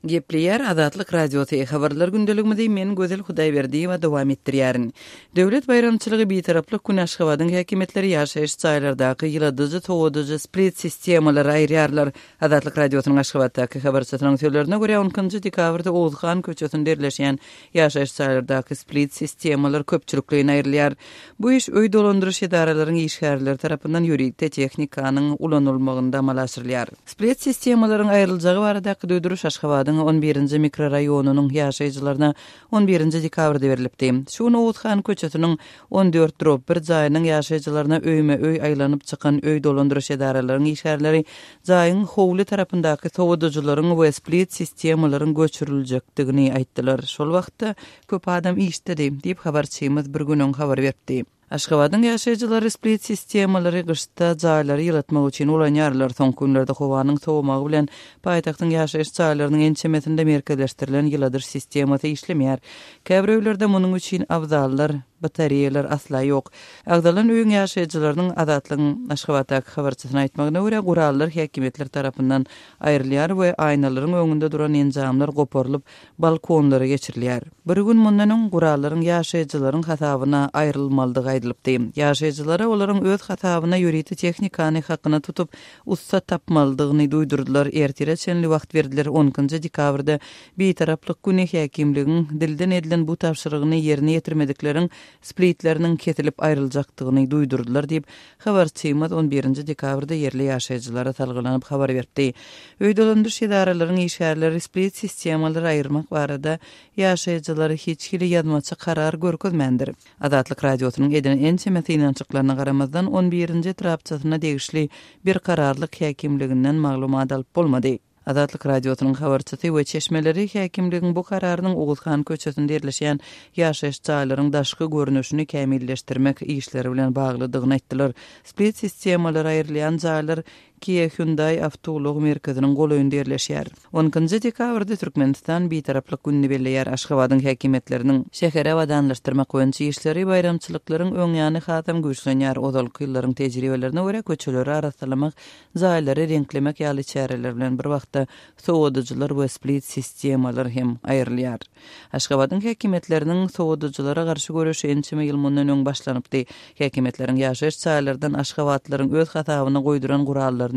Gepleýär Azatlyk Radiosy, Habarlar gündeligimizi men Gözel Hudaýberdiýewa dowam etdirýärin. Döwlet baýramçylygy Bitaraplyk güni Aşgabadyň häkimiýetleri ýaşaýyş jaýlardaky ýyladyjy, sowadyjy split sistemalary aýyrýarlar. Azatlyk Radiosynyň Aşgabatdaky habarçysynyň sözlerine görä, on ikinji dekabrda Oguzhan köçesinde ýerleşýän ýaşaýyş jaýlardaky split sistemalar köpçülikleýin aýrylýar. Bu iş öý dolandyryş edaralaryň işgärleri tarapyndan ýörite tehnikanyň ulanylmagynda amala aşyrylýar. Split sistemalaryň aýryljagy baradaky duýduryş Aşgabadyň on birinji mikroraýonynyň ýaşaýjylaryna on birinji dekabrda berlipdi. Şu gün Oguzhan köçesiniň 14 drob bir jaýynyň ýaşaýjylaryna öýme-öý aýlanyp çykan öý dolandyryş edaralaryň işgärleri jaýyň howly tarapyndaky sowadyjylaryň we split sistemalaryň göçüriljekdigini aýtdylar. Şol wagtda köp adam işdedi, diýip, habarçymyz bir gün öň habar beripdi. Aşgabadyň ýaşaýjylary split sistemalary gyşda jaýlary ýylatmak üçin ulanýarlar. Soňky günlerde howanyň sowamagy bilen paýtagtyň ýaşaýyş jaýlarynyň ençemesinde merkezleşdirilen ýyladyş sistemasy işlemeýär. Käbir öýlerde munuň üçin abzallar, batareýalar asla ýok. Agzalan öýüň ýaşaýjylarynyň Azatlygyň Aşgabatdaky habarçysyna aýtmagyna görä, gurallar häkimiýetler tarapyndan aýrylýar we aýnalaryň öňünde duran enjamlar goparylyp, balkonlara geçirilýär. Bir gün mundan öň gurallaryň ýaşaýjylaryň hasabyna aýrylmalydygy aýdylypdy. Ýaşaýjylara olaryň öz hasabyna ýörite tehnikany hakyna tutup, ussa tapmalydygyny duýdurdylar, ertire çenli wagt berdiler, on ikinji dekabrda Bitaraplyk güni häkimligiň dilden edilen bu tabşyrygyny ýerine ýetirmedikleriň splitleriniň kesilip aýryljakdygyny duýdurdylar diýip, Habarçymyz on birinji dekabrda ýerli ýaşaýjylara salgylanyp habar beripdi. Öý dolandyryş edaralaryň işgärleri split sistemalary aýyrmak barada ýaşaýjylara hiç hili ýazmaça karar görkezmändir. Azatlyk Radiosynyň eden ençeme synanyşyklaryna garamazdan, on birinji etrapçasyna degişli Berkararlyk häkimliginden maglumat alyp bolmady. Azatlyk Radiosynyň habarçysy we çeşmeleri häkimligiň bu kararynyň Oguzhan köçesinde ýerleşýän ýaşaýyş jaýlaryň daşky görnüşini kämilleşdirmek işleri bilen baglydygyny aýtdylar. Split sistemalary aýrylýan jaýlar Kia Hyundai awtoulag merkeziniň golaýynda ýerleşýär. On ikinji dekabrda Türkmenistan Bitaraplyk gününi belleýär. Aşgabadyň häkimiýetleriniň şäheri abadanlaşdyrmak boýunça işleri baýramçylyklaryň öňýany hasam güýçlenýär. Ozalky ýyllaryň tejribelerine görä, köçeleri arassalamak Jaýlary reňklemek ýaly çäreler bilen bir wagtda sowadyjylar we split sistemalar hem aýrylýar. Aşgabadyň häkimiýetleriniň sowadyjylara garşy göreşi ençeme ýyl mundan öň başlanypdy. Häkimiýetleriň ýaşaýyş jaýlardan aşgabatlylaryň öz hasabyna goýduran gurallaryny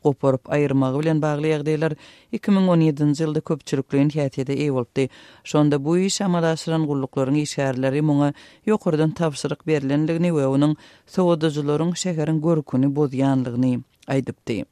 goparyp aýyrmagy bilen bagly ýagdaýlar 2017-nji ýylda köpçülikleýin häsiýete eýe bolupdy. Şonda bu işi amala aşyran gulluklaryň işgärleri muňa ýokardan tabşyryk berlendigini we onuň sowadyjylaryň şäheriň görküni bozýanlygyny aýdypdy.